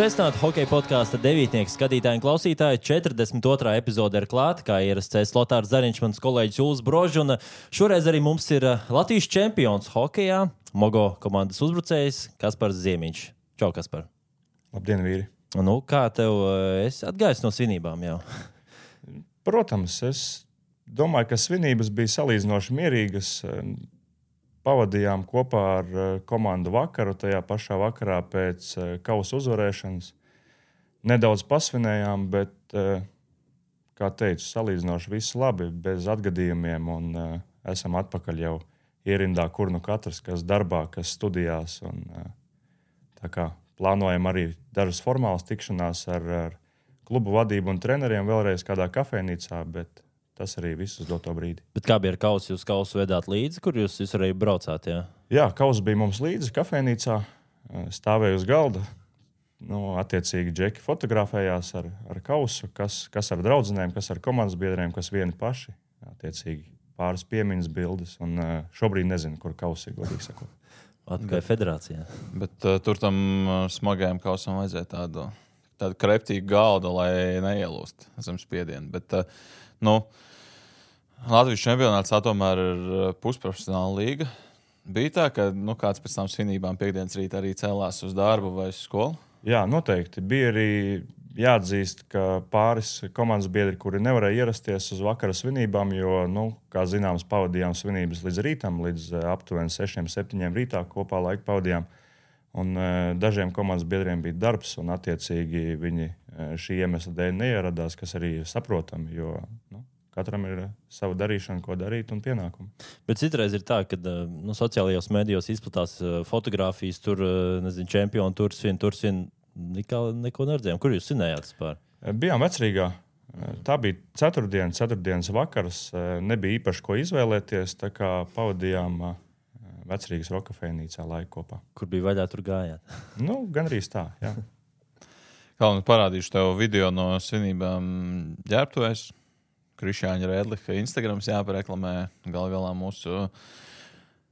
Sveicināti hokeja podkāsta devītnieki skatītāji un klausītāji. 42. epizode ir klāta, kā ierasts Lotārs Zariņš, mans kolēģis Juls Brožs. Un šoreiz arī mums ir Latvijas čempions hokejā, Mogo komandas uzbrucējs Kaspars Ziemiņš. Čau, Kaspar! Labdien, vīri! Nu, kā tev esi atgājis no svinībām jau? Protams, es domāju, ka svinības bija salīdzinoši mierīgas. Pavadījām kopā ar komandu vakaru, tajā pašā vakarā pēc kausa uzvarēšanas. Nedaudz pasvinējām, bet, kā teicu, salīdzinoši viss labi, bez atgadījumiem. Un esam atpakaļ jau ierindā, kur nu katrs, kas darbā, kas studijās. Un, tā kā plānojam arī dažas formālas tikšanās ar klubu vadību un treneriem vēlreiz kādā kafejnīcā, bet tas arī viss uz doto brīdi. Bet kā bija ar kausu? Jūs kausu vedāt līdzi, kur jūs arī braucāt? Jā, kauss bija mums līdzi kafejnīcā, stāvēja uz galda. Attiecīgi džeki fotografējās ar kausu, kas ar draudzenēm, kas ar komandas biedriem, kas vieni paši. Attiecīgi pāris piemiņas bildes. Un šobrīd nezinu, kur kauss ir, godīgi sakot. Atkai federācijā. Bet tur tam smagajam kausam vajadzēja tādu kreptīgu galdu, lai neielūst zem spiedienu. Bet, Latvijas čempionāts tomēr ir pusprofesionāla līga. Bija tā, ka kāds pēc tam svinībām piekdienas rītā arī cēlās uz darbu vai uz skolu? Jā, noteikti. Bija arī jāatzīst, ka pāris komandas biedri, kuri nevarēja ierasties uz vakara svinībām, jo, kā zināms, pavadījām svinības līdz rītam, līdz aptuveni 6-7 rītā kopā laiku pavadījām. Un dažiem komandas biedriem bija darbs, un attiecīgi viņi šī iemesla dēļ neieradās, kas arī ir saprotami, jo katram ir sava darīšana, ko darīt un pienākumi. Bet citreiz ir tā, ka sociālajos medijos izplatās fotogrāfijas, tur, čempioni, tur svin, neko neredzējām. Kur jūs svinējāt vispār? Bijām Vecrīgā. Tā bija ceturtdienas vakars. Nebija īpaši ko izvēlēties, tā kā pavadījām Vecrīgas rokafejnīcā laiku kopā. Kur bija vaļā, tur gājāt? Gandrīz tā, jā. Kā parādīšu tev video no svinībām ģērbtuvēs. Krišjāņa Rēdliha Instagrams jāpareklamē. Galā mūsu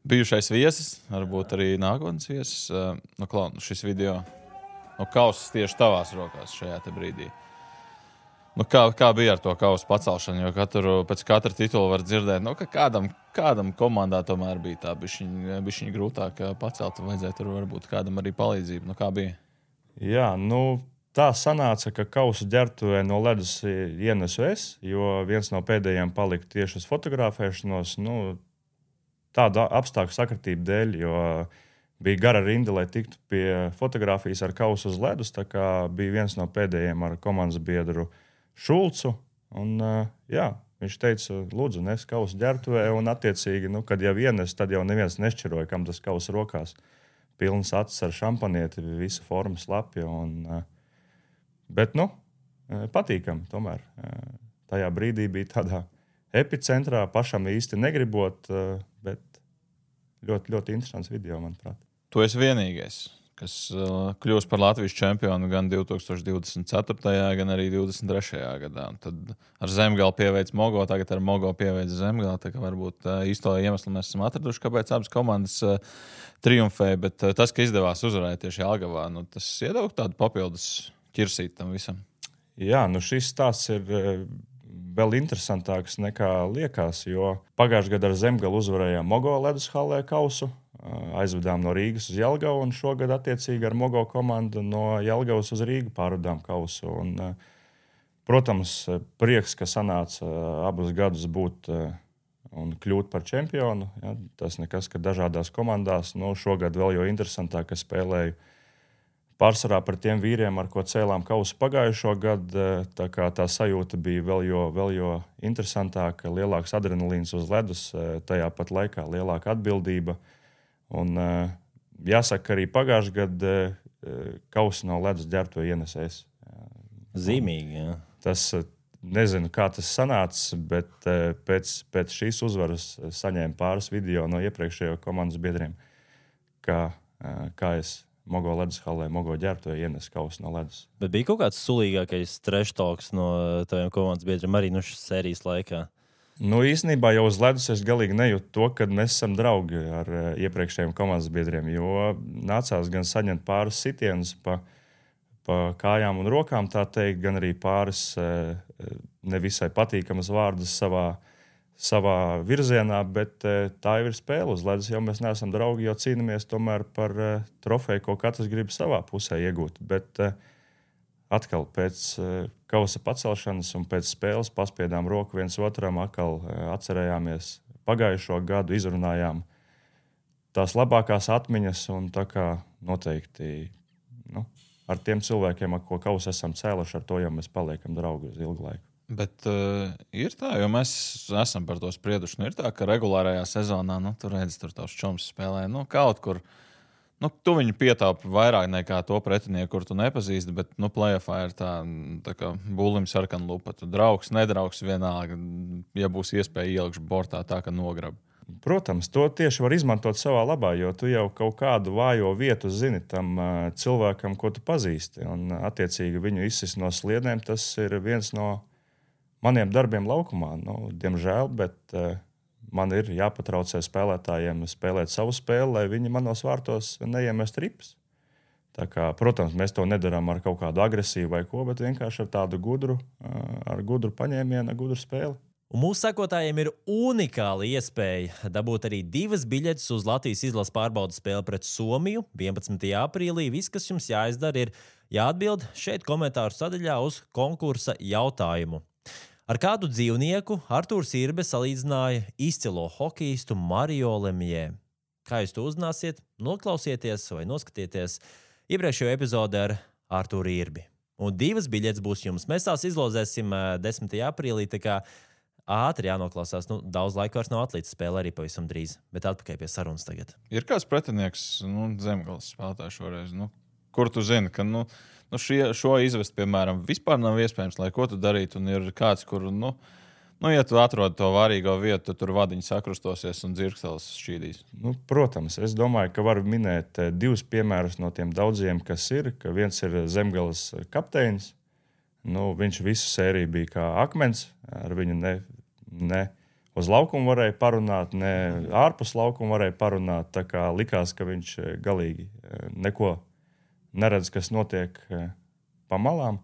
bijušais viesis, varbūt arī nākotnes viesis. Šis video kausas tieši tavās rokās šajā te brīdī. Kā bija ar to kausu pacelšanu? Jo pēc katra titula var dzirdēt, ka kādam komandā tomēr bija tā bišķiņa grūtāk pacelt. Vajadzēja tur varbūt kādam arī palīdzību. Kā bija? Jā, tā sanāca, ka kausu ģērbtuvē no ledus ienesu es, jo viens no pēdējiem palika tieši uz fotografēšanos. Tāda apstākļu sakritība dēļ, jo bija gara rinda, lai tiktu pie fotografijas ar kausu uz ledus. Tā kā bija viens no pēdējiem ar komandas biedru Šulcu. Un, viņš teica, lūdzu, nes kausu ģērbtuvē. Un attiecīgi, kad jau ienes, tad jau neviens nešķiroja, kam tas kausu rokās. Pilns acis ar šampanieti, visa forma slapja. Bet, patīkami tomēr. Tajā brīdī bija tādā epicentrā, pašam īsti negribot, bet ļoti, ļoti interesants video, manuprāt. Tu esi vienīgais, kas kļūs par Latvijas čempionu gan 2024. gan arī 2023. gadā. Un tad ar Zemgali pieveic Mogo, tagad ar Mogo pieveic Zemgali. Tā kā varbūt īsto iemeslu mēs esam atraduši, kāpēc abas komandas triumfēja. Bet tas, ka izdevās uzvarēt tieši Jelgavā, tas iedeva tādu papildus ķirsīt tam visam. Jā, šis stāsts ir vēl interesantāks nekā liekas, jo pagājušajā gadā ar Zemgali uzvarējām Mogo ledus hallē kausu, aizvedām no Rīgas uz Jelgavu, un šogad attiecīgi ar Mogo komandu no Jelgavas uz Rīgu pārvedām kausu. Un, protams, prieks, ka sanāca abus gadus būt un kļūt par čempionu. Ja, tas nekas, ka dažādās komandās. Šogad vēl jo interesantāk, ka spēlēju pārsvarā par tiem vīriem, ar ko cēlām kausu pagājušo gadu. Tā sajūta bija vēl jo interesantāka, lielāks adrenalīns uz ledus, tajā pat laikā lielāka atbildība. Un jāsaka, arī pagājušajā gadā kausu no ledus ģērbtuve ienesēs. Zīmīgi, jā. Tas nezinu, kā tas sanāca, bet pēc šīs uzvaras saņēmu pāris video no iepriekšējo komandas biedriem, kā es Mogo ledus hallē, Mogo ģērbtuvē ienes kausu no ledus. Bet bija kaut kāds sulīgākais trash talks no taviem komandas biedriem arī šīs sērijas laikā? Īstenībā jau uz ledus es galīgi nejūtu to, ka mēs esam draugi ar iepriekšējiem komandas biedriem, jo nācās gan saņemt pāris sitienus pa pa kājām un rokām, tā teikt, gan arī pāris nevisai patīkamas vārdas savā virzienā, bet tā jau ir spēle uz ledus. Jau mēs neesam draugi, jo cīnāmies tomēr par trofeju, ko katrs grib savā pusē iegūt. Bet atkal pēc kausa pacelšanas un pēc spēles paspiedām roku viens otram, atkal atcerējāmies pagājušo gadu, izrunājām tās labākās atmiņas un tā kā noteikti ar tiem cilvēkiem, ar ko kausu esam cēluši, ar to jau mēs paliekam draugi uz ilgu laiku. Bet ir tā, jo mēs esam par to sprieduši. Ir tā, ka regulārajā sezonā, tur redz, tur tavs čoms spēlē, kaut kur. Tu viņu pietaupi vairāk nekā to pretinieku, kur tu nepazīsti, bet play-offā ir tā kā bulim sarkana lupa. Tu draugs, nedraugs vienalga, ja būs iespēja ielikšu bortā tā, ka nograb. Protams, to tieši var izmantot savā labā, jo tu jau kaut kādu vājo vietu zini tam cilvēkam, ko tu pazīsti. Un, attiecīgi, viņu izsist no sliedēm, tas ir viens no maniem darbiem laukumā. Diemžēl, bet man ir jāpatraucē spēlētājiem spēlēt savu spēli, lai viņi manos vārtos neiemest ripas. Tā kā, protams, mēs to nedarām ar kaut kādu agresīvu vai ko, bet vienkārši ar tādu gudru paņēmienu, gudru spēli. Un mūsu sekotājiem ir unikāla iespēja dabūt arī 2 biļetes uz Latvijas izlases pārbaudes spēli pret Somiju 11. aprīlī. Viss, kas jums jāizdara, ir jāatbild šeit komentāru sadaļā uz konkursa jautājumu. Ar kādu dzīvnieku Artūrs Irbe salīdzināja izcilo hokejistu Mario Lemieux? Kā jūs to uzzināsiet? Noklausieties vai noskatieties iepriekšējo epizodi ar Artūru Irbi. Un 2 biļetes būs jums. Mēs tās izlozēsim 10. aprīlī, tā kā ātri jānoklausās. Daudz laika vairs nav atlicis, spēle arī pavisam drīz. Bet atpakaļ pie sarunas tagad. Ir kāds pretinieks, Zemgales spēlētājs šoreiz, kur tu zini, ka šo izvest, piemēram, vispār nav iespējams, lai ko tu darītu. Un ir kāds, kur, ja tu atrod to vārīgo vietu, tad tur vadiņi sakrustosies un dzirkstelis šķīdīs. Protams, es domāju, ka varu minēt 2 piemērus no tiem daudziem, kas ir. Ka viens ir Zemgales kapteinis. Viņš visu sēriju bija kā akmens. Ar viņu ne uz laukumu varēja parunāt, ne ārpus laukuma varēja parunāt. Tā kā likās, ka viņš galīgi neko neredz, kas notiek pa malām.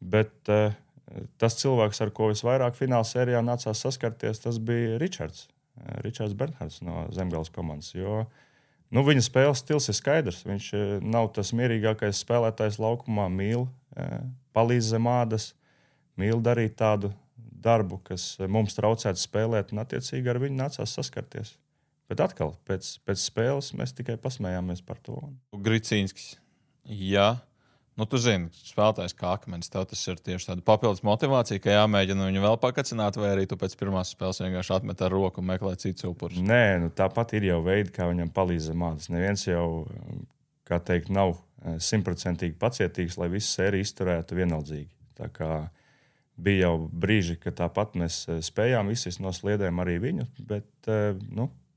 Bet tas cilvēks, ar ko visvairāk fināla sērijā nācās saskarties, tas bija Ričards Bernhards no Zemgales komandas. Jo viņa spēles stils ir skaidrs. Viņš nav tas mierīgākais spēlētājs laukumā, mīl palīdz zem ādas, mīl darīt tādu darbu, kas mums traucētu spēlēt, un attiecīgi ar viņu nācās saskarties. Bet atkal, pēc spēles mēs tikai pasmējāmies par to. Gricīnskis. Jā. Tu zini, spēlētājs kā akmens, tev tas ir tieši tāda papildus motivācija, ka jāmēģina viņu vēl pakacināt, vai arī tu pēc pirmās spēles vienkārši atmet ar roku un meklē citus upurus? Nē, tāpat ir jau veidi, kā viņam palīdz zem ādas. Neviens jau, kā teikt, nav 100% pacietīgs, lai visu sēriju izturētu vienaldzīgi. Tā kā bija jau brīži, ka tāpat mēs spējām izsist no sliedēm arī viņu, bet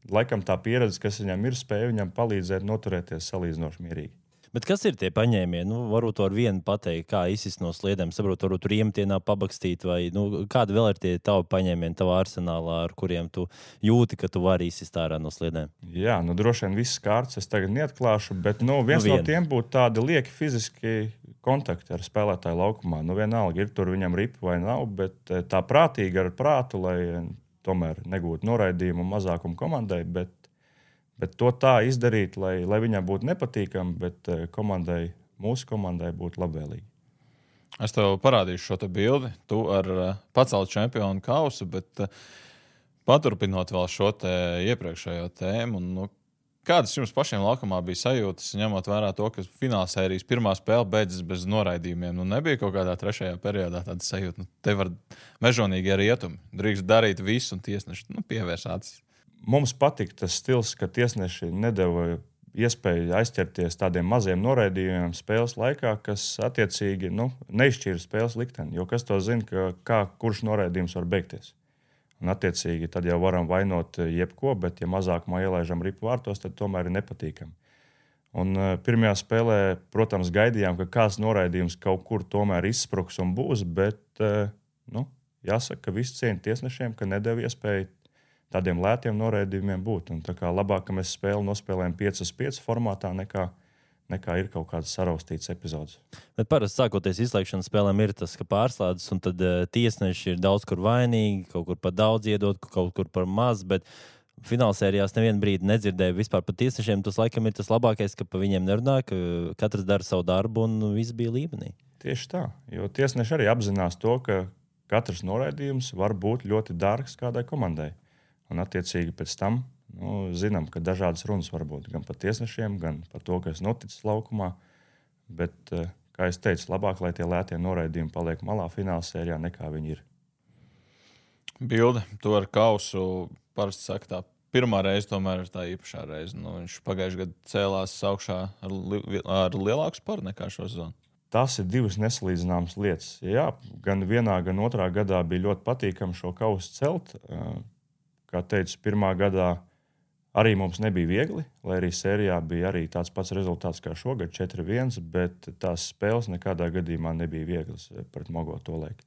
laikam tā pieredze, kas viņam ir, spēja viņam palīdzēt noturēties salīdzinoši mierīgi. Bet kas ir tie paņēmieni? Varbūt ar vienu pateikt, kā izsist no sliedēm. Saprotu, varbūt tur iemetienā pabakstīt, vai kādi vēl ir tie tavi paņēmieni tavā arsenālā, ar kuriem tu jūti, ka tu vari izsist ārā no sliedēm? Jā, droši vien viss kārts es tagad neatklāšu, bet viens no tiem būtu tādi lieki fiziski kontakti ar spēlētāju laukumā. Vienalga, ir tur viņam ripa vai nav, bet tā prātīgi ar prātu, lai tomēr negūtu noraidījumu mazākumu komandai, bet to tā izdarīt, lai viņam būtu nepatīkami, bet mūsu komandai būtu labvēlīgi. Es tev parādīšu šo te bildi. Tu ar paceltu čempionu kausu, bet paturpinot vēl šo te iepriekšējo tēmu. Kādas jums pašiem laukumā bija sajūtas, ņemot vērā to, ka finālsērijas pirmā spēle beidzas bez noraidījumiem? Nebija kaut kādā trešajā periodā tāda sajūta. Te var mežonīgi rietumi. Drīkst darīt visu un tiesneši pievērs acis. Mums patika tas stils, ka tiesneši nedeva iespēju aizķerties tādiem maziem noraidījumiem spēles laikā, kas attiecīgi neizšķīra spēles likteni. Jo kas to zina, kurš noraidījums var beigties. Un attiecīgi tad jau varam vainot jebko, bet ja mazākumā ielaižam ripu vārtos, tad tomēr ir nepatīkami. Un pirmajā spēlē, protams, gaidījām, ka kāds noraidījums kaut kur tomēr izspruks un būs, bet jāsaka, ka visi cieņa tiesnešiem, ka nedeva iespēju tādiem lētiem noraidījumiem būt. Un tā kā labāk, ka mēs spēli nospēlējam 5-5 formātā, nekā nekā ir kaut kādas saraustītas epizodes. Bet parasti sākoties izslēgšanas spēlēm ir tas, ka pārslēdzas, un tad tiesneši ir daudz kur vainīgi, kaut kur par daudz iedot, kaut kur par maz, bet finālsērijās nevienu brīdi nedzirdēju vispār par tiesnešiem. Tas laikam ir tas labākais, ka pa viņiem nerunā, ka katrs dara savu darbu un viss bija līmenī. Tieši tā, jo tiesneši arī apzinās to, ka katrs noraidījums var būt ļoti dārgs kādai komandai. Un attiecīgi pēc tam zinām, ka dažādas runas var būt gan par tiesnešiem, gan par to, kas noticis laukumā. Bet, kā es teicu, labāk, lai tie lētie noraidījumi paliek malā finālsērijā, nekā viņi ir. Bilde, to ar kausu parasti saka tā. Pirmā reize tomēr ir tā īpašā reize. Viņš pagājušajā gadā cēlās augšā ar lielāku sparu nekā šo sezonu. Tas ir divas nesalīdzināmas lietas. Jā, gan vienā, gan otrā gadā bija ļoti patīkami šo kausu celt. Kā teicu, pirmā gadā arī mums nebija viegli, lai arī sērijā bija arī tāds pats rezultāts kā šogad 4-1, bet tās spēles nekādā gadījumā nebija vieglas pret Mogo tolaik.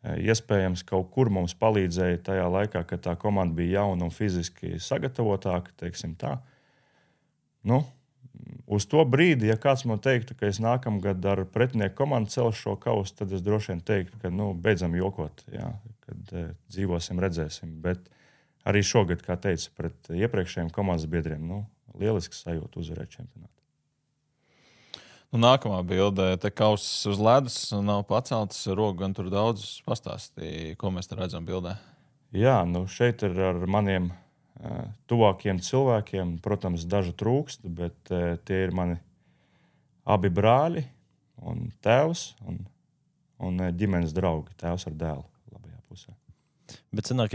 Iespējams, kaut kur mums palīdzēja tajā laikā, kad tā komanda bija jauna un fiziski sagatavotāka, teiksim tā. Uz to brīdi, ja kāds man teiktu, ka es nākamgad ar pretinieku komandu celšu šo kausu, tad es droši vien teiktu, ka beidzam jokot, jā, kad dzīvosim, redzēsim. Bet arī šogad, kā teicu, pret iepriekšējiem komandas biedriem, lielisks sajūta uzvarēt čempionātu. Nākamā bilde, te kauss uz ledus, nav paceltas rogu, gan tur daudz pastāstīja, ko mēs te redzam bildē. Jā, šeit ir ar maniem tuvākiem cilvēkiem, protams, dažu trūkst, bet tie ir mani abi brāļi un tēvs un ģimenes draugi, tēvs ar dēlu labajā pusē. Bet sanāk,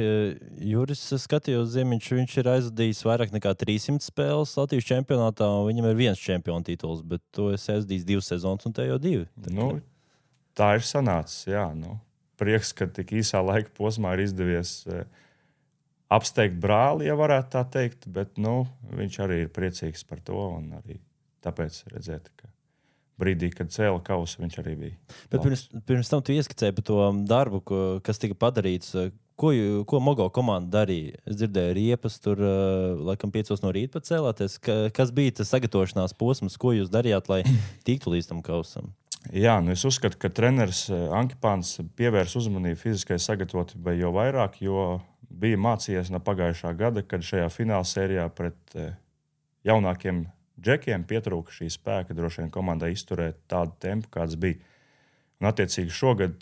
Juris skatījos Ziemiņš, viņš ir aizvadījis vairāk nekā 300 spēles Latvijas čempionātā, un viņam ir 1 čempiona tituls, bet to es aizvadījis 2 sezonas, un te jau 2. Tā ir sanācis, jā. Prieks, ka tik īsā laika posmā ir izdevies apsteigt brāli, ja varētu tā teikt, bet viņš arī ir priecīgs par to, un arī tāpēc redzēt, ka brīdī, kad cēla kausu, viņš arī bija. Bet pirms tam tu ieskicēji par to darbu, kas tika padarīts. Ko Mogo komanda darīja? Es dzirdēju riepas, tur laikam 5 no rīta pat cēlāties. Kas bija tas sagatavošanās posms, ko jūs darījāt, lai tiktu līdz tam kausam? Jā, es uzskatu, ka treneris Ankipāns pievērs uzmanību fiziskai sagatavotībai jau vairāk, jo bija mācījies no pagājušā gada, kad šajā finālsērijā pret jaunākiem džekiem pietrūka šī spēka droši vien komandai izturēt tādu tempu, kāds bija. Un attiecīgi šogad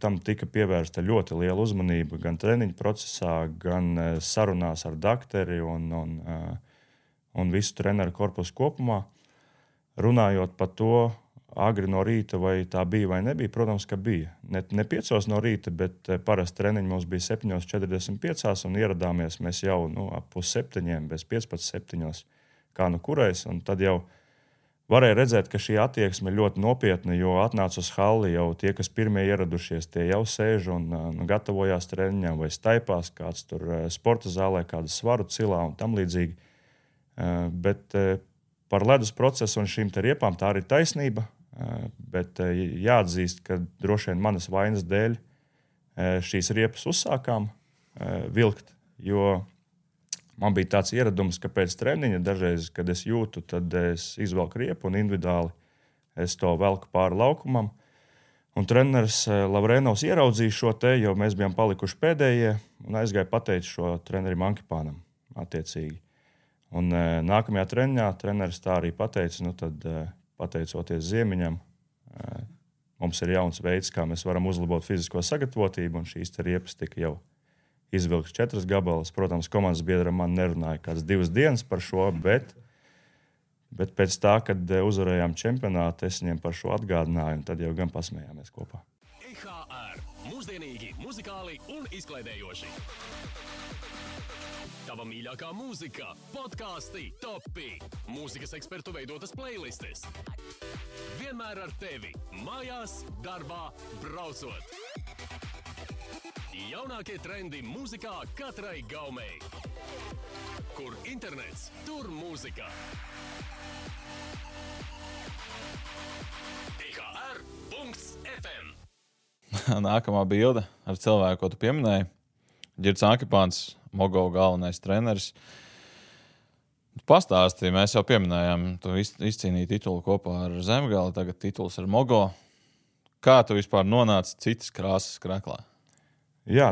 tam tika pievērsta ļoti liela uzmanība gan treniņu procesā, gan sarunās ar dakteri un visu treneru korpusu kopumā. Runājot par to agri no rīta, vai tā bija vai nebija, protams, ka bija. Ne 5 no rīta, bet parasti treniņi mums bija 7:45 un ieradāmies mēs jau ap 6:30, bez 15:7. Kā kurais, un tad jau varēja redzēt, ka šī attieksme ir ļoti nopietna, jo atnāca uz halli jau tie, kas pirmie ieradušies, tie jau sēž un gatavojās treniņam vai staipās, kāds tur sporta zālē, kādu svaru cilā un tam līdzīgi. Bet par ledus procesu un šīm te riepām tā arī taisnība, bet jāatzīst, ka droši vien manas vainas dēļ šīs riepas uzsākām vilkt, jo man bija tāds ieradums, ka pēc treniņa dažreiz, kad es jūtu, tad es izvelku riepu un individuāli es to velku pāri laukumam. Un treneris Lavrenovs ieraudzīja šo te, jo mēs bijām palikuši pēdējie, un aizgāja pateikt šo trenerim Ankipānam attiecīgi. Un nākamajā treniņā treneris tā arī pateica, tad pateicoties Ziemiņam, mums ir jauns veids, kā mēs varam uzlabot fizisko sagatavotību, un šīs te riepas tika jau izvilkts 4 gabalus. Protams, komandas biedram man nerunāja kādas 2 dienas par šo, bet pēc tā, kad uzvarējām čempionātu, es viņiem par šo atgādināju, un tad jau gan pasmējāmies kopā. EHR – mūsdienīgi, muzikāli un izklaidējoši. Tava mīļākā mūzika, podkāsti, topi, mūzikas ekspertu veidotas playlistes. Vienmēr ar tevi, mājās, darbā, braucot. Jaunākie trendi mūzikā katrai gaumei. Kur internets, tur mūzika. EHR.FM Nākamā bilde ar cilvēku, ko tu pieminēji. Girts Ankipāns, Mogo galvenais treneris. Pastāstīja, mēs jau pieminējām, tu izcīnīji titulu kopā ar Zemgali, tagad tituls ar Mogo. Kā tu vispār nonāci citas krāsas kreklā? Jā,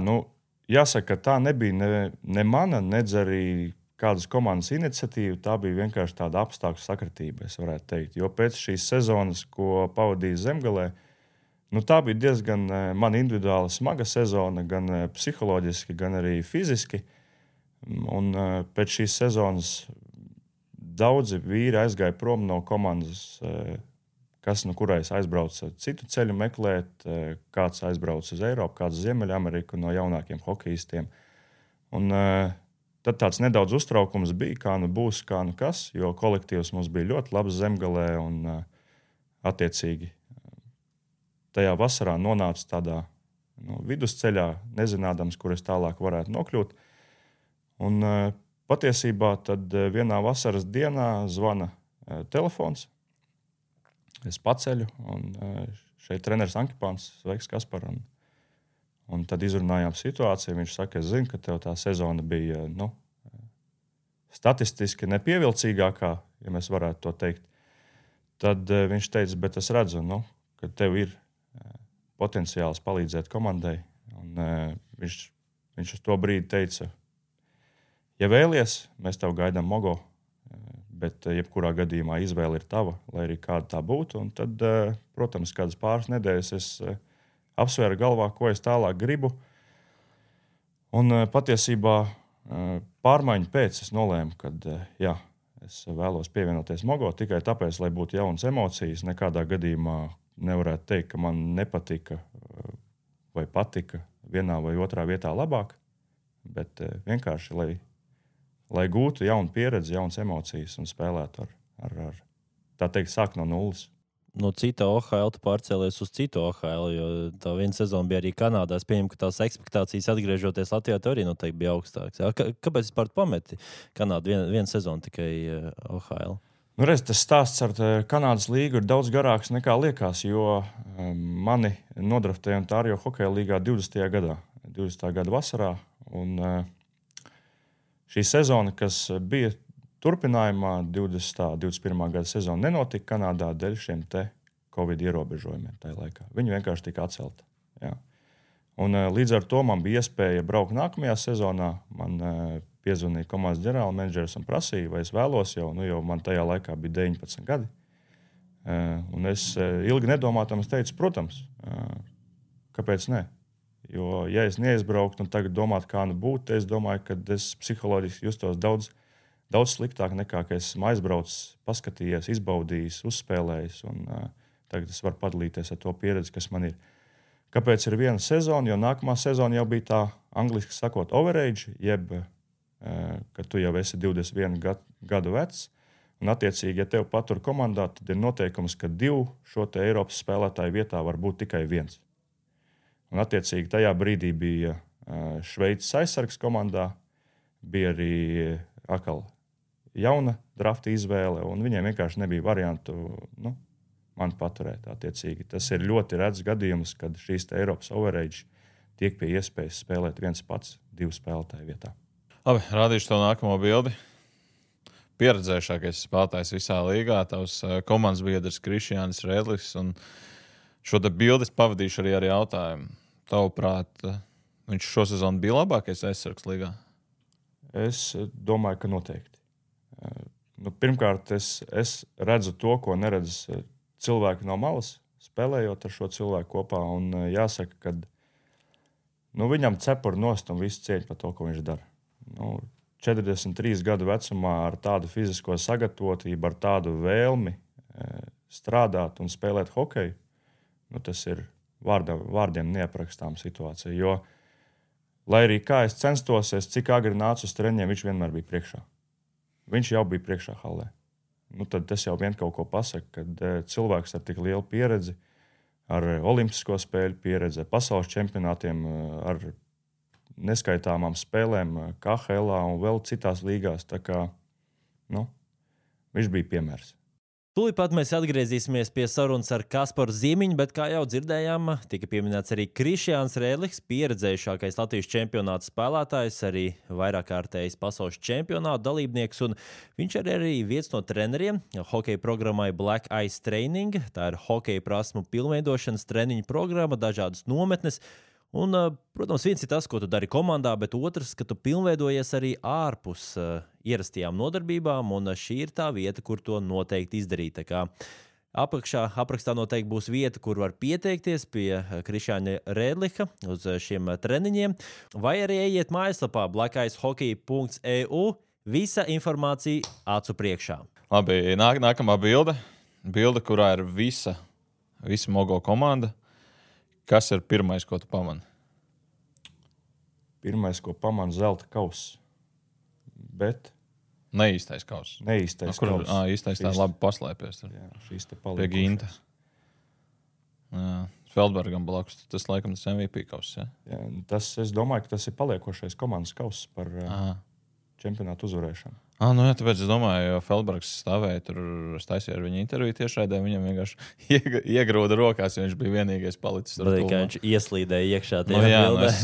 jāsaka, ka tā nebija ne mana, nedz arī kādas komandas iniciatīva. Tā bija vienkārši tāda apstākļu sakritība, es varētu teikt. Jo pēc šīs sezonas, ko pavadīju Zemgalē, tā bija diezgan man individuāli smaga sezona, gan psiholoģiski, gan arī fiziski. Un pēc šīs sezonas daudzi vīri aizgāja prom no komandas, kurais aizbrauca citu ceļu meklēt, kāds aizbrauca uz Eiropu, kāds uz Ziemeļameriku no jaunākiem hokejistiem. Un tad tāds nedaudz uztraukums bija, kā būs, kā kas, jo kolektīvs mums bija ļoti labs Zemgalē un attiecīgi tajā vasarā nonāca tādā vidusceļā, nezinādams, kur es tālāk varētu nokļūt. Un patiesībā tad vienā vasaras dienā zvana telefons. Es paceļu, un šeit treneris Ankipāns, sveiks, Kaspar. Un tad izrunājām situāciju. Viņš saka, es zinu, ka tev tā sezona bija statistiski nepievilcīgākā, ja mēs varētu to teikt. Tad viņš teica, bet es redzu, ka tev ir potenciāls palīdzēt komandai. Un viņš uz to brīdi teica, ja vēlies, mēs tev gaidām Mogo, bet jebkurā gadījumā izvēle ir tava, lai arī kāda tā būtu. Un tad, protams, kādas pāris nedēļas es apsvēru galvā, ko es tālāk gribu. Un patiesībā pārmaiņu pēc es nolēmu, ka es vēlos pievienoties Mogo tikai tāpēc, lai būtu jaunas emocijas. Nekādā gadījumā nevarētu teikt, ka man nepatika vai patika vienā vai otrā vietā labāk, bet vienkārši, lai gūtu jaunu pieredzi, jaunas emocijas un spēlētu ar tā teikt, sāk no nulles. No cita OHL tu pārcēlies uz citu OHL, jo tā viena sezona bija arī Kanādā. Es pieņemu, ka tās ekspektācijas atgriežoties Latvijā tev arī noteikti bija augstākas. Kāpēc vispār pameti Kanādu vienu sezonu tikai OHL? Tas stāsts ar Kanādas līgu ir daudz garāks nekā liekas, jo mani nodraftēja Ontārio hokeja līgā 20. gada vasarā. Un šī sezona, kas bija turpinājumā, 20. 21. gada sezona nenotika Kanādā dēļ šiem Covid ierobežojumiem tajā laikā. Viņi vienkārši tika atcelti. Jā. Un līdz ar to man bija iespēja braukt nākamajā sezonā. Man piezvanīja komandas ģenerālmenedžers un prasīja, vai es vēlos jau man tajā laikā bija 19 gadi. Un es ilgi nedomātams teicu, protams, kāpēc ne? Jo, ja es neizbrauktu un tagad domātu, kā būtu, es domāju, ka es psiholoģiski justos daudz sliktāk nekā, ka esmu aizbraucis, paskatījies, izbaudījis, uzspēlējis. Un tagad es varu padalīties ar to pieredzi, kas man ir. Kāpēc ir viena sezona? Jo nākamā sezona jau bija tā, angliski sakot, overage, jeb, ka tu jau esi 21 gadu vecs. Un attiecīgi, ja tev patur komandā, tad ir noteikums, ka 2 šo te Eiropas spēlētāju vietā var būt tikai 1. Un attiecīgi tajā brīdī bija Šveices aizsargs komandā, bija arī atkal jauna drafta izvēle, un viņiem vienkārši nebija variantu man paturēt. Attiecīgi. Tas ir ļoti rets gadījums, kad šīs Eiropas overage tiek pie iespējas spēlēt viens pats 2 spēlētāju vietā. Labi, rādīšu tev nākamo bildi. Pieredzējušākais spēlētājs visā līgā, tavs komandas biedrs Krišjānis Rēdlis, un šo te bildes pavadīšu arī ar jautājumu. Tavuprāt, viņš šo sezonu bija labākais aizsargs līgā? Es domāju, ka noteikti. Pirmkārt, es redzu to, ko neredz cilvēki no malas, spēlējot ar šo cilvēku kopā. Un jāsaka, ka viņam cepuri nost un visu cieņu par to, ko viņš dara. 43 gadu vecumā ar tādu fizisko sagatavotību, ar tādu vēlmi strādāt un spēlēt hokeju, tas ir vārdiem neaprakstām situācija. Jo, lai arī kā es censtos, cik agri nācu uz treniņiem, viņš vienmēr bija priekšā. Viņš jau bija priekšā hallē. Tad tas jau vien kaut ko pasaka, kad cilvēks ar tik lielu pieredzi, ar olimpisko spēļu pieredzi, ar pasaules čempionātiem, ar neskaitāmām spēlēm KHL un vēl citās līgās. Tā kā, viņš bija piemērs. Tūlīt pat mēs atgriezīsimies pie sarunas ar Kasparu Ziemiņu, bet, kā jau dzirdējām, tika pieminēts arī Krišjāns Rēdliks, pieredzējušākais Latvijas čempionāta spēlētājs, arī vairākkārtējs pasaules čempionāta dalībnieks, un viņš arī viens no treneriem hokeja programmai Black Ice Training. Tā ir hokeja prasmu pilnveidošanas treniņu programma, dažādas nometnes. Un, protams, viens ir tas, ko tu dari komandā, bet otrs, ka tu pilnveidojies arī ārpus ierastajām nodarbībām, un šī ir tā vieta, kur to noteikti izdarīt. Tā kā aprakstā noteikti būs vieta, kur var pieteikties pie Krišjāņa Rēdlika uz šiem treniņiem, vai arī ejiet mājaslapā blackicehockey.eu. Visa informācija acu priekšā. Labi, nākamā bilde. Bilde, kurā ir visa Mogo komanda. Kas ir pirmais, ko tu pamani? Pirmais, ko pamanu, zelta kauss. Bet Neīstais kauss. neīstais Kur kauss. īstais tā labi paslēpies? Jā, šīs te Pie palikušas. Ginta. Jā, Feldbergam blakus. Tas laikam tas MVP kauss, ja? Jā, es domāju, ka tas ir paliekošais komandas kauss par čempionātu uzvarēšanu. Nu jā, tāpēc es domāju, jo Feldbergs stāvēja tur, es taisīju ar viņu interviju tiešraidē, viņam vienkārši iegrūda rokās, jo viņš bija vienīgais palicis. Kā viņš ieslīdēja iekšā Nu, jā,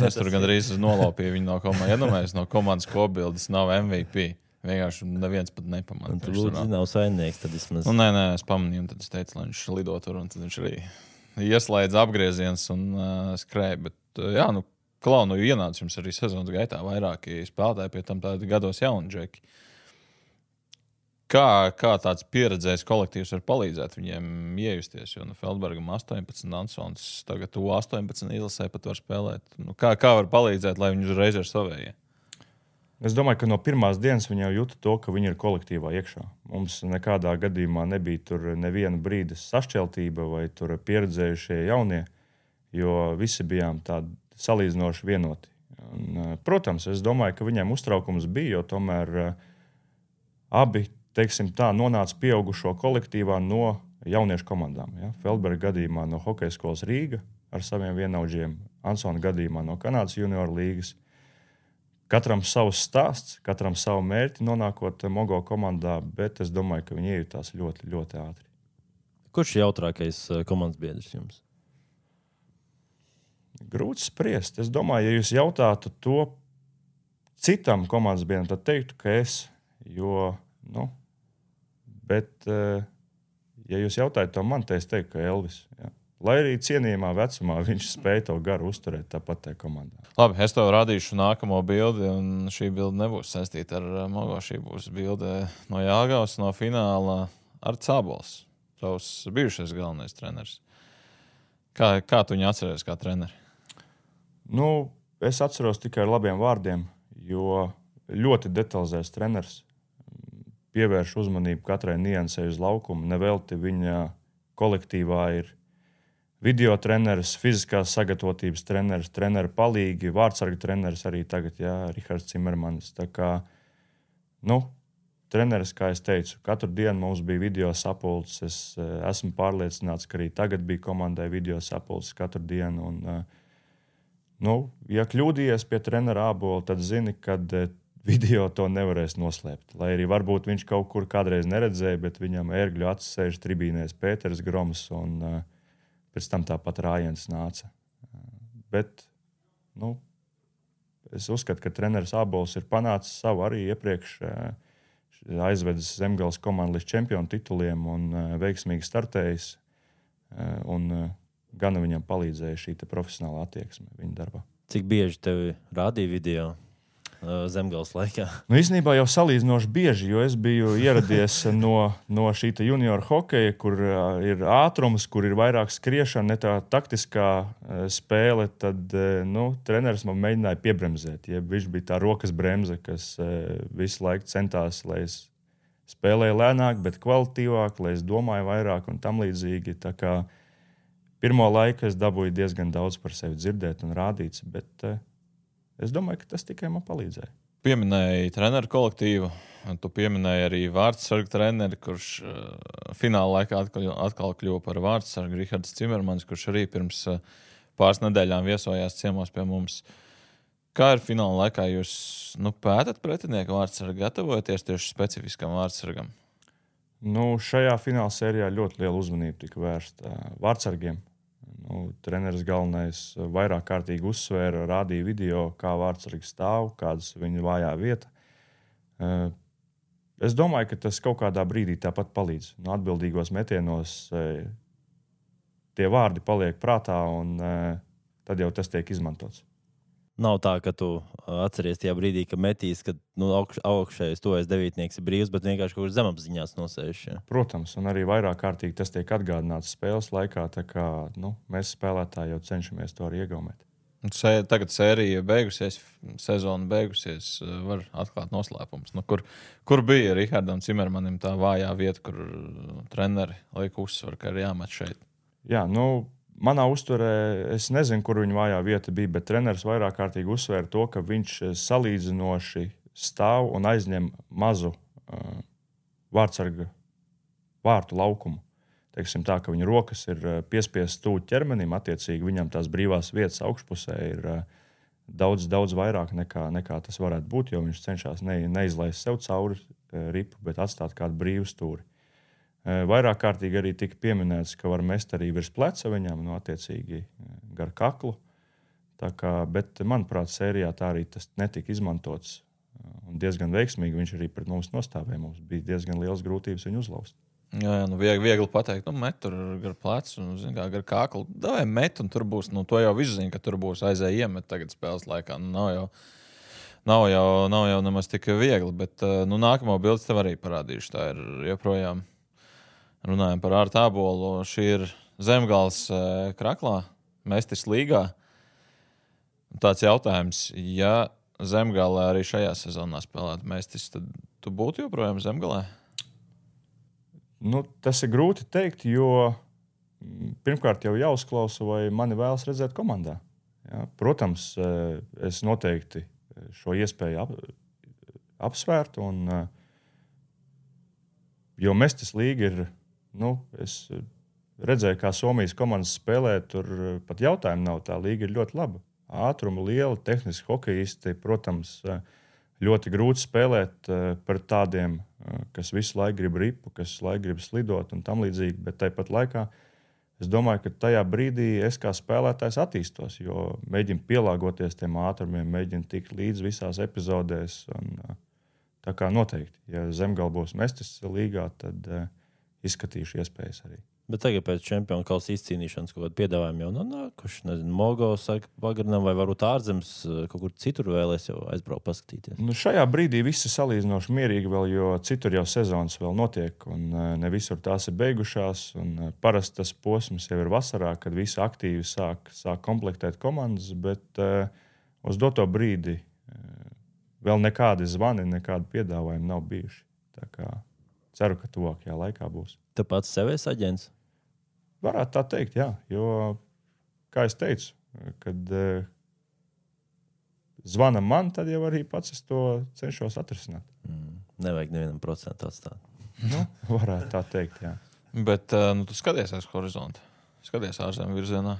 es tur gandrīz nolopīju viņu no komandas. Iedomājies, no komandas kopbildes nav MVP. Vienkārši neviens pat nepamanīja. Tur lūdzu nav saimnieks, tad vismaz. Nē, es pamanīju, un tad es teicu, lai viņš lido tur, un tad viņš arī ieslēdz apgrieziens un skrēja. Bet jā, Klau, ienāca jums arī sezonas gaitā vairāki spēlētāji, pie tam tādi gados jauni džeki. Kā tāds pieredzējis kolektīvs var palīdzēt viņiem iejusties? Jo Feldbergam 18, Ansons tagad U18 izlasē pat var spēlēt. Kā var palīdzēt, lai viņi uzreiz ir savējie? Es domāju, ka no pirmās dienas viņi jau jūta to, ka viņi ir kolektīvā iekšā. Mums nekādā gadījumā nebija tur neviena brīda sašķeltība vai tur pieredzējušie jaunie, jo visi bijām tādi salīdzinoši vienoti. Un, protams, es domāju, ka viņiem uztraukums bija, jo tomēr abi nonāca pieaugušo kolektīvā no jauniešu komandām. Ja? Feldberga gadījumā no Hokeja skolas Rīga ar saviem vienaudžiem, Ansona gadījumā no Kanādas junioru līgas. Katram savs stāsts, katram savu mērķi nonākot Mogo komandā, bet es domāju, ka viņi iejutās ļoti, ļoti ātri. Kurš ir jautrākais komandas biedrs jums? Grūti spriest. Es domāju, ja jūs jautātu to citam komandas biedram, tad teiktu, ka es, jo, bet, ja jūs jautājat to man, tad es teiktu, ka Elvis. Ja. Lai arī cienījamā vecumā viņš spēja to garu uzturēt tāpat tajā komandā. Labi, es tev radīšu nākamo bildi, un šī bilde nebūs saistīta ar Mogo. Šī būs bilde no Jāgavas, no fināla ar Cābols, tavs bijušais galvenais treneris. Kā tu viņu atceries kā treneri? Es atceros tikai ar labiem vārdiem, jo ļoti detalizēts treneris. Pievērš uzmanību katrai niansei uz laukumu. Nevelti viņa kolektīvā ir video treneris, fiziskās sagatavotības treneris, treneru palīgi, vārdsarga treneris arī tagad, Rihards Cimermanis. Tā kā, treneris, kā es teicu, katru dienu mums bija video sapulces. Es esmu pārliecināts, ka arī tagad bija komandai video sapulces katru dienu. Un, ja kļūdījies pie trenera ābola, tad zini, kad video to nevarēs noslēpt. Lai arī varbūt viņš kaut kur kādreiz neredzēja, bet viņam ērgļu acis sēž tribīnēs Pēters Groms un pēc tam tāpat Rājens nāca. Bet, es uzskatu, ka treneris ābols ir panācis savu arī iepriekš aizvedis Zemgales komandu līdz čempionu tituliem un veiksmīgi startējis. Un gan viņam palīdzēja šī profesionāla attieksme viņa darbā. Cik bieži tevi rādīja video Zemgales laikā? Īstenībā jau salīdzinoši bieži, jo es biju ieradies no šī junioru hokeja, kur ir ātrums, kur ir vairāk skriešana, ne tā taktiskā spēle, tad treneris man mēģināja piebremzēt. Viņš bija tā rokas bremze, kas visu laiku centās, lai es spēlēju lēnāk, bet kvalitīvāk, lai es domāju vairāk un tam līdzīgi. Tā kā pirmo laiku es dabūju diezgan daudz par sevi dzirdēt un rādīts, bet es domāju, ka tas tikai man palīdzēja. Pieminēji treneru kolektīvu, un tu pieminēji arī vārdsargu treneri, kurš fināla laikā atkal kļuva par vārdsargu, Rihards Cimermanis, kurš arī pirms pāris nedēļām viesojās ciemos pie mums. Kā ir fināla laikā? Jūs pētat pretinieku vārdsargu, gatavojaties tieši specifiskam vārdsargam? Šajā fināla sērijā ļoti liela uzmanība tika vērsta vārtsargiem. Treneris galvenais vairāk kārtīgi uzsvēra, rādīja video, kā vārtsargi stāv, kādas viņa vājā vieta. Es domāju, ka tas kaut kādā brīdī tāpat palīdz. Atbildīgos metienos tie vārdi paliek prātā, un tad jau tas tiek izmantots. Nav tā, ka tu atceries tajā brīdī, ka metīs, ka augšējais tojas devītnieks ir brīvs, bet vienkārši kaut kur zemapziņās nosēž. Ja? Protams, un arī vairāk kārtīgi tas tiek atgādināts spēles laikā, tā kā mēs spēlētāji jau cenšamies to arī iegaumēt. Tagad sērija beigusies, sezona beigusies, var atklāt noslēpumus. Kur bija Rihardam Cimermanim tā vājā vieta, kur treneri liek uzsvaru, ka ir jāmet šeit? Jā, manā uztverē es nezinu, kur viņa vājā vieta bija, bet treneris vairāk kārtīgi uzsvēra to, ka viņš salīdzinoši stāv un aizņem mazu vārtsarga vārtu laukumu. Teiksim tā, ka viņa rokas ir piespiestas tuvu ķermenim, attiecīgi viņam tās brīvās vietas augšpusē ir daudz vairāk nekā tas varētu būt, jo viņš cenšas neizlaist sev cauri ripu, bet atstāt kādu brīvu stūri. Vairāk kārtīgi arī tika pieminēts, ka var mest arī virs pleca viņam, attiecīgi gar kaklu. Bet, manuprāt, sērijā tā arī tas netika izmantots. Un diezgan veiksmīgi viņš arī pret mums nostāvēja. Mums bija diezgan liels grūtības viņu uzlauzt. Jā, viegli pateikt, met tur gar plecu, gar kaklu. Davai met, un tur būs, to jau visu zina, ka tur būs aizēja iemet tagad spēles laikā. Nav jau nemaz tik viegli, bet nākamo bildes tev arī parādīšu. Tā ir joprojām. Runājam par ārtu ābolu. Šī ir Zemgales Kraklā, Mestis līgā. Tāds jautājums, ja Zemgalē arī šajā sezonā spēlētu Mestis, tad tu būtu joprojām Zemgalē? Tas ir grūti teikt, jo pirmkārt jau jāuzklausa, vai mani vēlas redzēt komandā. Ja? Protams, es noteikti šo iespēju apsvērtu, jo Mestis līga ir. Es redzēju, kā Somijas komandas spēlē, tur pat jautājumu nav. Tā līga ir ļoti laba. Ātruma liela, tehniski hokejisti, protams, ļoti grūti spēlēt par tādiem, kas visu laiku grib ripu, kas visu laiku grib slidot un tam līdzīgi, bet tāpat laikā es domāju, ka tajā brīdī es kā spēlētājs attīstos, jo mēģinu pielāgoties tiem ātrumiem, mēģinu tikt līdz visās epizodēs. Tā kā noteikti, ja Zemgale būs Mestis līgā, tad izskatīšu iespējas arī. Bet tagad pēc čempionu kausa izcīnīšanas kaut kādu piedāvājumu jau nākuši. Nezinu, Mogo saka pagarinām, vai varbūt ārzemes kaut kur citur vēlēs jau aizbraukt paskatīties. Šajā brīdī viss ir salīdzinoši mierīgi vēl, jo citur jau sezonas vēl notiek un ne visur tās ir beigušās. Parasti tas posms jau ir vasarā, kad visi aktīvi sāk komplektēt komandas, bet uz doto brīdi vēl nekādi zvani, nekādi piedāvājumi nav bijuši. Tā kā ceru, ka tuvākajā laikā būs. Tu pats sev esi aģents? Varētu tā teikt, jā. Jo, kā es teicu, kad zvana man, tad jau arī pats es to cenšos atrisināt. Nevajag nevienam procentu atstāt. Varētu tā teikt, jā. Bet tu skaties aiz horizonta. Skaties ārzemju virzienā.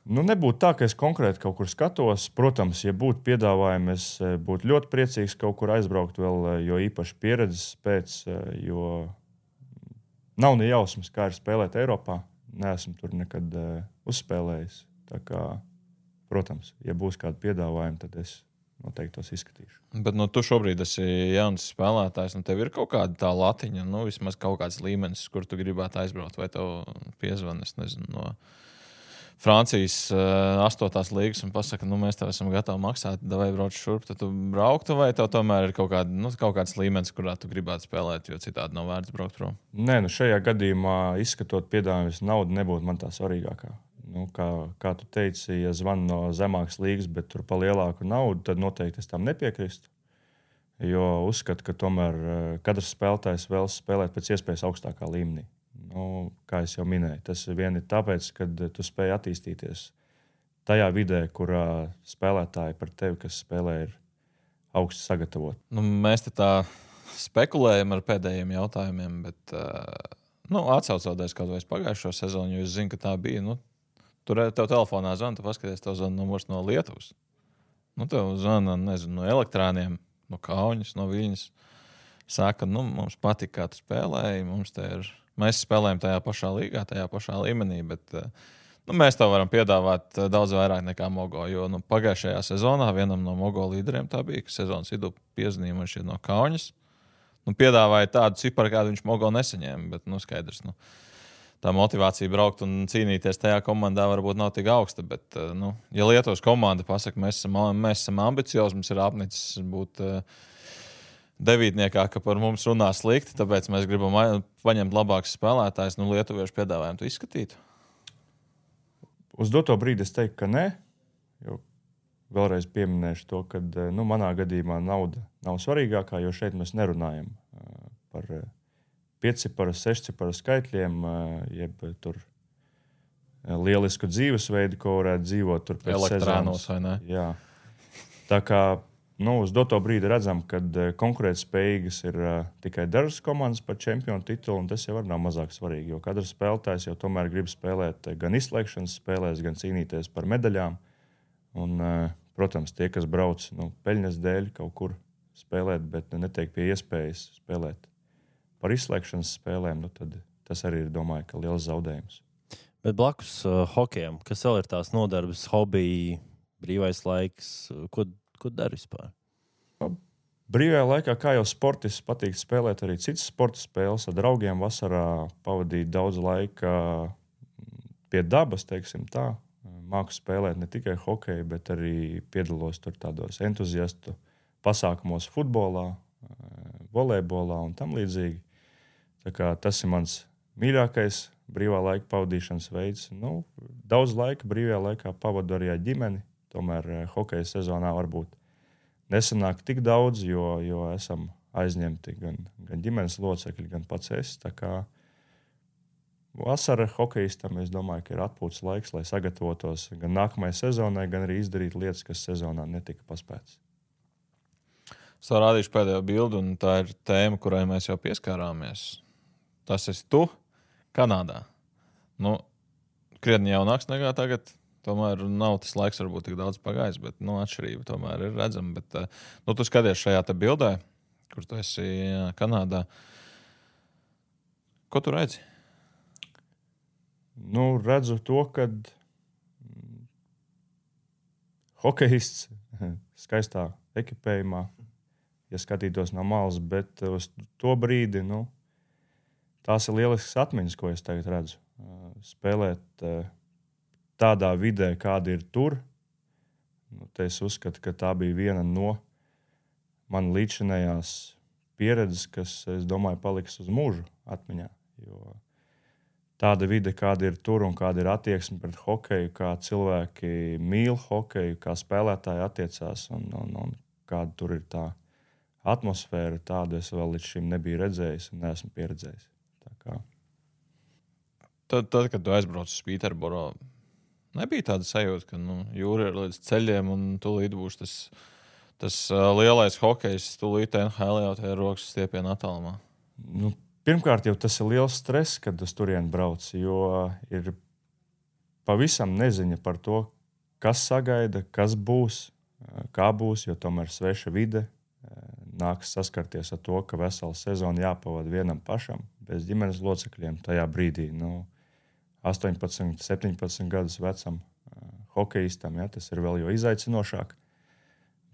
Nebūtu tā, ka es konkrēti kaut kur skatos. Protams, ja būtu piedāvājumi, es būtu ļoti priecīgs kaut kur aizbraukt vēl, jo īpaši pieredzes pēc, jo nav ne jausmas, kā ir spēlēt Eiropā. Neesmu tur nekad uzspēlējis. Tā kā, protams, ja būs kādi piedāvājumi, tad es noteikti tos izskatīšu. Bet tu šobrīd esi jauns spēlētājs, tev ir kaut kāda tā latiņa, vismaz kaut kāds līmenis, kur tu gribētu aizbraukt, vai tev piezvan, es nezinu, no Francijas 8. līgas un pasaka, mēs tev esam gatavi maksāt, vai brauc šurp, tad tu brauktu, vai tev tomēr ir kaut kāds līmenis, kurā tu gribētu spēlēt, jo citādi nav vērts braukt prom? Nē, šajā gadījumā izskatot piedāvājumus, nauda nebūtu man tā svarīgākā. Kā tu teici, ja zvan no zemākas līgas, bet tur pa lielāku naudu, tad noteikti es tam nepiekristu. Jo uzskatu, ka tomēr katrs spēlētājs vēlas spēlēt pēc iespējas augstākā līmenī. Kā es jau minēju, tas vien ir tāpēc, ka tu spēj attīstīties tajā vidē, kurā spēlētāji par tevi, kas spēlē, ir augsti sagatavoti. Mēs te tā spekulējam ar pēdējiem jautājumiem, bet atsaucoties kaut vai pagājušo sezonu, jo es zinu, ka tā bija. Tur tev telefonā zvana, tu paskaties, tev zvana numurs no Lietuvas. Tev zvana, nezinu, no Elektrāniem, no Kaunas, no Viļņas. saka, mums patīk, kā tu spēlēji, mēs spēlējam tajā pašā līgā, tajā pašā līmenī, bet mēs tev varam piedāvāt daudz vairāk nekā Mogo, jo pagājušajā sezonā vienam no Mogo līderiem tā bija, ka sezonas vidū piezīmēja šeit no Kaunas. Piedāvāja tādu ciparu, kādu viņš Mogo nesaņēma, bet skaidrs. Tā motivācija braukt un cīnīties tajā komandā varbūt nav tik augsta, bet, ja Lietuvas komanda pasaka, mēs esam ambiciozi, mums ir apnicis būt devītniekā, ka par mums runā slikti, tāpēc mēs gribam paņemt labākus spēlētājus, lietuviešu piedāvājumu tu izskatītu? Uz doto brīdi es teiktu, ka nē, jo vēlreiz pieminēšu to, ka manā gadījumā nauda nav svarīgākā, jo šeit mēs nerunājam par 5-ciparu, 6-ciparu skaitļiem, jeb tur lielisku dzīvesveidu, ko varētu dzīvot tur pēc elektrānos, sezonas. Vai ne? Jā. Tā kā uz doto brīdi redzam, ka konkurētspējīgas ir tikai dažas komandas par čempionu titulu, un tas jau nav mazāk svarīgi, jo katrs spēlētājs jau tomēr grib spēlēt gan izslēgšanas spēlēs, gan cīnīties par medaļām. Un, protams, tie, kas brauc peļņas dēļ kaut kur spēlēt, bet netiek pie iespējas spēlēt par izslēgšanas spēlēm, tad tas arī ir, domāju, ka liels zaudējums. Bet blakus hokejam, kas vēl ir tās nodarbes, hobiji, brīvais laiks, ko dari vispār? Brīvajā laikā, kā jau sportists, patīk spēlēt arī citas sporta spēles. Ar draugiem vasarā pavadīt daudz laika pie dabas, teiksim tā. Māku spēlēt ne tikai hokeju, bet arī piedalos tur tādos entuziastu pasākumos futbolā, volejbolā un tam līdzīgi. Tā kā tas ir mans mīļākais brīvā laika pavadīšanas veids. Daudz laika brīvajā laikā pavadu arī ar ģimeni. Tomēr hokeja sezonā varbūt nesanāk tik daudz, jo esam aizņemti gan ģimenes locekļi, gan pats es. Tā kā vasara hokejistam, es domāju, ka ir atpūtas laiks, lai sagatavotos gan nākamajai sezonai, gan arī izdarīt lietas, kas sezonā netika paspētas. Es tev rādīšu pēdējo bildi, un tā ir tēma, kurai mēs jau pieskārāmies. Tas esi tu Kanādā. Krietni jaunāks nekā tagad. Tomēr nav tas laiks, varbūt tik daudz pagājis, bet atšķirība tomēr ir redzama. Bet, tu skaties šajā te bildē, kur tu esi Kanādā. Ko tu redzi? Redzu to, ka hokejists skaistā ekipējumā, ja skatītos no malas, bet uz to brīdi, tās ir lieliskas atmiņas, ko es tagad redzu. Spēlēt tādā vidē, kāda ir tur, te es uzskatu, ka tā bija viena no man līdzinējās pieredzes, kas, es domāju, paliks uz mūžu atmiņā. Jo tāda vide, kāda ir tur un kāda ir attieksme pret hokeju, kā cilvēki mīl hokeju, kā spēlētāji attiecās un kāda tur ir tā atmosfēra, tādu es vēl līdz šim nebiju redzējis un neesmu pieredzējis. Tā kā. Tad, kad tu aizbrauc uz Pīterboro, nebija tāda sajūta, ka jūra ir līdz ceļiem un tūlīt būs tas lielais hokejs, tūlīt NHL jau tajā rokas stiepiena attālumā. Pirmkārt, jau tas ir liels stress, kad uz turieni brauc, jo ir pavisam neziņa par to, kas sagaida, kas būs, kā būs, jo tomēr sveša vide. Nāks saskarties ar to, ka vesela sezona jāpavada vienam pašam, bez ģimenes locekļiem tajā brīdī. 18, 17 gadus vecam hokejistam, tas ir vēl jo izaicinošāk.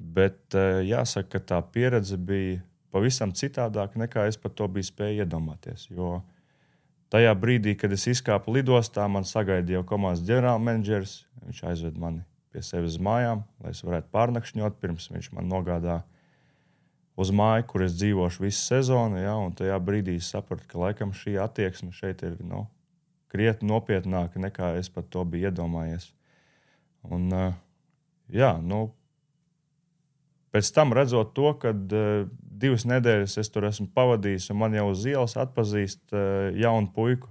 Bet jāsaka, ka tā pieredze bija pavisam citādāk, nekā es par to biju spēju iedomāties. Jo tajā brīdī, kad es izkāpu lidostā, man sagaidīja jau komandas ģenerālmenedžers. Viņš aizved mani pie sevis uz mājām, lai es varētu pārnakšņot, pirms viņš man nogādā uz māju, kur es dzīvošu visu sezonu. Un tajā brīdī es sapratu, ka laikam šī attieksme šeit ir krietni nopietnāka, nekā es par to biju iedomājies. Un, pēc tam redzot to, ka 2 nedēļas es tur esmu pavadījis un man jau uz ielas atpazīst jaunu puiku,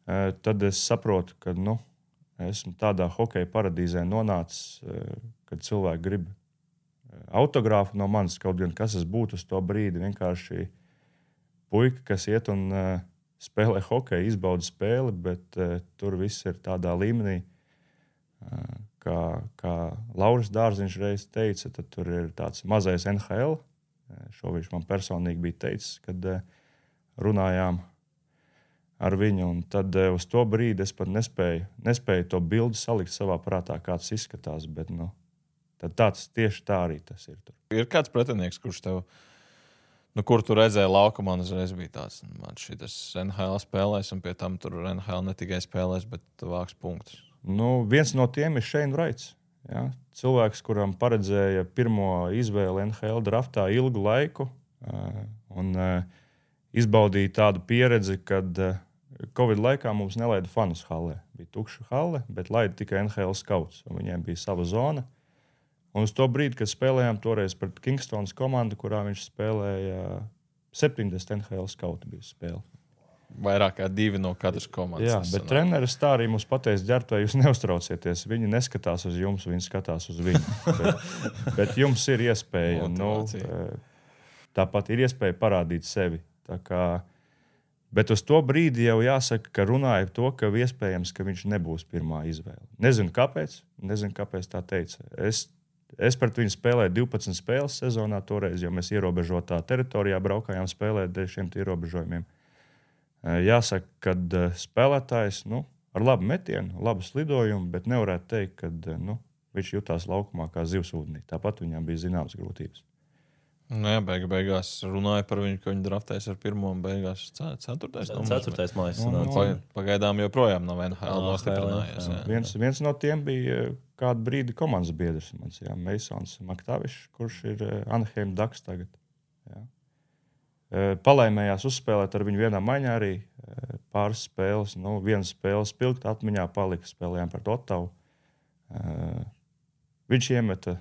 tad es saprotu, ka esmu tādā hokeja paradīzē nonācis, kad cilvēki grib autogrāfu no manis, kaut gan kas es būtu uz to brīdi. Vienkārši puika, kas iet un spēlē hokeju, izbauda spēli, bet tur viss ir tādā līmenī, kā Lauris Dārziņš reiz teica, tad tur ir tāds mazais NHL, Šo viņš man personīgi bija teicis, kad runājām ar viņu. Un tad uz to brīdi es pat nespēju to bildi salikt savā prātā, kāds izskatās. Bet, tad tieši tā arī tas ir. Tur. Ir kāds pretinieks, kurš tev, kur tu redzēji laukumā, un uzreiz bija tāds, man šitas NHL spēlēs, un pie tam tur NHL ne tikai spēlēs, bet vāks punktus. Viens no tiem ir Shane Wrights. Ja? Cilvēks, kuram paredzēja pirmo izvēli NHL draftā ilgu laiku un izbaudīja tādu pieredzi, kad Covid laikā mums nelaida fanus hallē. Bija tukša halle, bet laida tikai NHL skauts. Viņiem bija sava zona. Un uz to brīdi, kad spēlējām toreiz pret Kingstonas komandu, kurā viņš spēlēja 70 NHL skautu bija spēle. Vairāk kā 2 no katras komandas. Jā, bet treneris tā arī mums pateica, ģērbtuvē, jūs neuztraucieties. Viņi neskatās uz jums, viņi skatās uz viņu. bet jums ir iespēja. Tāpat ir iespēja parādīt sevi. Bet uz to brīdi jau jāsaka, ka runāja par to, ka iespējams, ka viņš nebūs pirmā izvēle. Nezinu, kāpēc tā teica. Es pret viņu spēlēju 12 spēles sezonā toreiz, jo mēs ierobežotā teritorijā braukājām spēlēt dēļ šiem ierobežojumiem. Jāsaka, ka spēlētājs ar labu metienu, labu slidojumu, bet nevarētu teikt, ka viņš jutās laukumā kā zivs ūdenī. Tāpat viņam bija zināmas grūtības. Beigās runāja par viņu, ka viņi draftēs ar pirmo un beigās 4. mājas. Pagaidām joprojām nav NHL nostiprinājies. Viens no tiem bija kādu brīdi komandas biedrs. Masons Maktavišs, kurš ir Anaheim Ducks tagad. Jā. Palaimējās uzspēlēt ar viņu vienā maiņā arī pāris spēles. Viena spēle spilgti atmiņā palika, spēlējām pret Ottavu. Viņš iemeta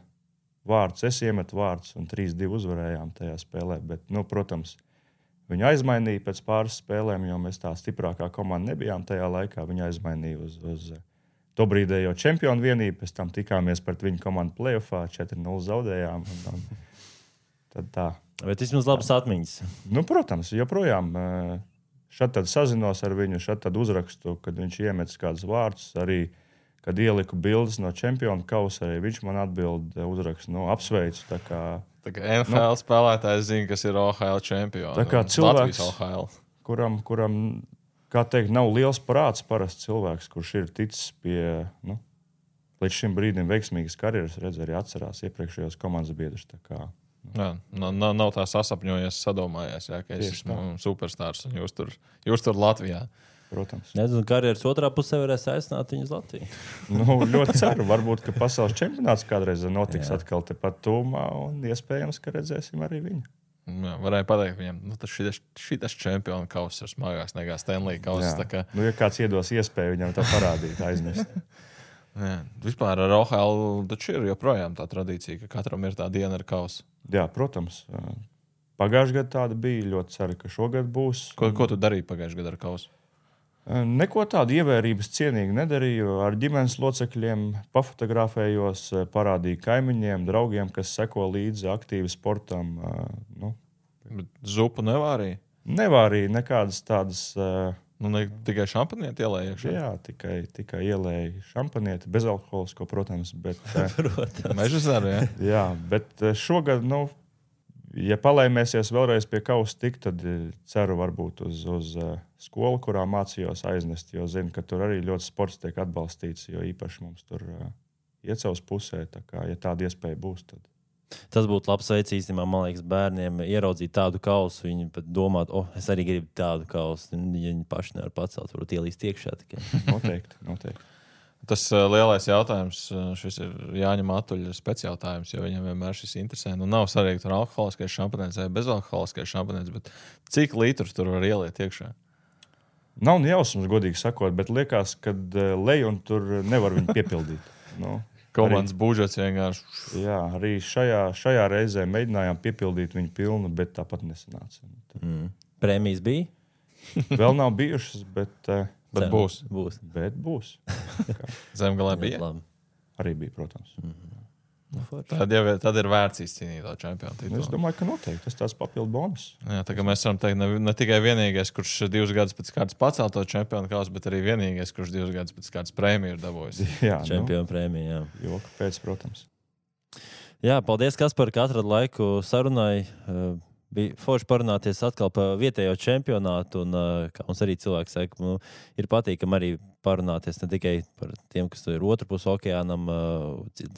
vārdus, es iemetu vārdus un 3-2 uzvarējām tajā spēlē. Bet, protams, viņu aizmainīja pēc pāris spēlēm, jo mēs tā stiprākā komanda nebijām tajā laikā. Viņu aizmainīja uz to brīdējo čempionu vienību. Pēc tam tikāmies pret viņu komandu playoffā, 4-0 zaudējām. Tad tā. Bet vismaz labas atmiņas. Protams, joprojām šad tad sazinos ar viņu, šad tad uzrakstu, kad viņš iemetis kādus vārdus. Arī, kad ieliku bildes no čempionu kausa, arī viņš man atbild uzrakstu, apsveicu. Tā kā NHL spēlētājs zina, kas ir OHL čempioni. Tā kā cilvēks, kuram kā teikt, nav liels prāts, parasts cilvēks, kurš ir ticis pie, līdz šim brīdim veiksmīgas karjeras, redz arī atcerās iepriekšējos komandas biedrus. Jā, nav tā sasapņojies, sadomājies, ka es esmu superstārs un jūs tur Latvijā. Protams. Nezinu, karjeras otrā pusē varēs aicināt viņu uz Latviju. Ļoti ceru. Varbūt, ka pasaules čempionāts kādreiz notiks atkal tepat tūmā un iespējams, ka redzēsim arī viņu. Jā, varēja pateikt viņam, šitas čempionu kauss ir smagāks nekā Stanley kauss. Ja kāds iedos iespēju viņam to parādīt, aizmest. Vispār ar OHL taču ir joprojām tā tradīcija, ka katram ir tā diena ar kausu. Jā, protams. Pagājušajā gadā tāda bija. Ļoti ceru, ka šogad būs. Ko tu darīji pagājušajā gadā ar kausu? Neko tādu ievērības cienīgu nedarīju. Ar ģimenes locekļiem pafotografējos, parādīju kaimiņiem, draugiem, kas seko līdzi aktīvi sportam. Bet zupu nevārīja? Nevārīja nekādas tādas. Tikai šampanieti ielēja iekšā? Jā, tikai ielēja šampanieti, bezalkoholisko, protams. Meža zaru, jā? Jā, bet šogad, ja palaimēsies vēlreiz pie kausa tik, tad ceru varbūt uz skolu, kurā mācījos aiznest, jo zinu, ka tur arī ļoti sports tiek atbalstīts, jo īpaši mums tur iecels pusē, tā kā, ja tāda iespēja būs, tad. Tas būtu labs veids īstenībā, man liekas, bērniem ieraudzīt tādu kausu. Viņi pat domāt, es arī gribu tādu kausu. Ja viņi paši nevar pacelt, varbūt ielīst iekšā tikai. Noteikti. Tas lielais jautājums, šis ir Jāņa Matuļa speciāljautājums, jo viņam vienmēr šis interesē. Nav svarīgi, tur alkoholiskais šampanēts vai bezalkoholiskais šampanēts, bet cik litrus tur var ieliet iekšā? Nav jausmas, godīgi sakot, bet liekas, ka lej un tur nevar viņu piepildīt. Komandas budžets vienkārši. Jā, arī šajā reizē mēģinājām piepildīt viņu pilnu, bet tāpat nesanāca. Prēmijas bija? Vēl nav bijušas, bet būs. Bet būs. Zemgalē bija? Arī bija, protams. Tad ir vērts izcīnīt to čempionu titulu. Es domāju, ka noteikti tas tāds papildu bonus. Jā, tā kā mēs varam teikt, ne tikai vienīgais, kurš 2 gadus pēc kārtas pacēl to čempionu kausu, bet arī vienīgais, kurš 2 gadus pēc kārtas prēmiju ir dabūjis. Jā, čempionu prēmiju, jā. Joka pēc, protams. Jā, paldies, Kaspar, ka atrada laiku sarunai. Bija forši parunāties atkal par vietējo čempionātu, un kā mums arī cilvēks saka, ir patīkami arī parunāties ne tikai par tiem, kas ir otrpus okeānam,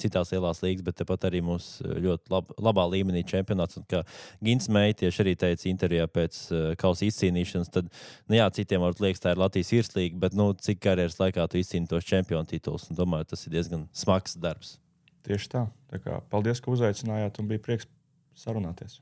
citās lielās līgas, bet tepat arī mums ļoti labā līmenī čempionāts. Un kā Gins Meij tieši arī teica intervijā pēc kausa izcīnīšanas, tad, jā, citiem varbūt liekas, tā ir Latvijas virslīga, bet, cik karjeras laikā tu izcīni tos čempionu titulus, un domāju, tas ir diezgan smags darbs. Tieši tā. Tā kā paldies, ka uzaicinājāt, un bija prieks sarunāties.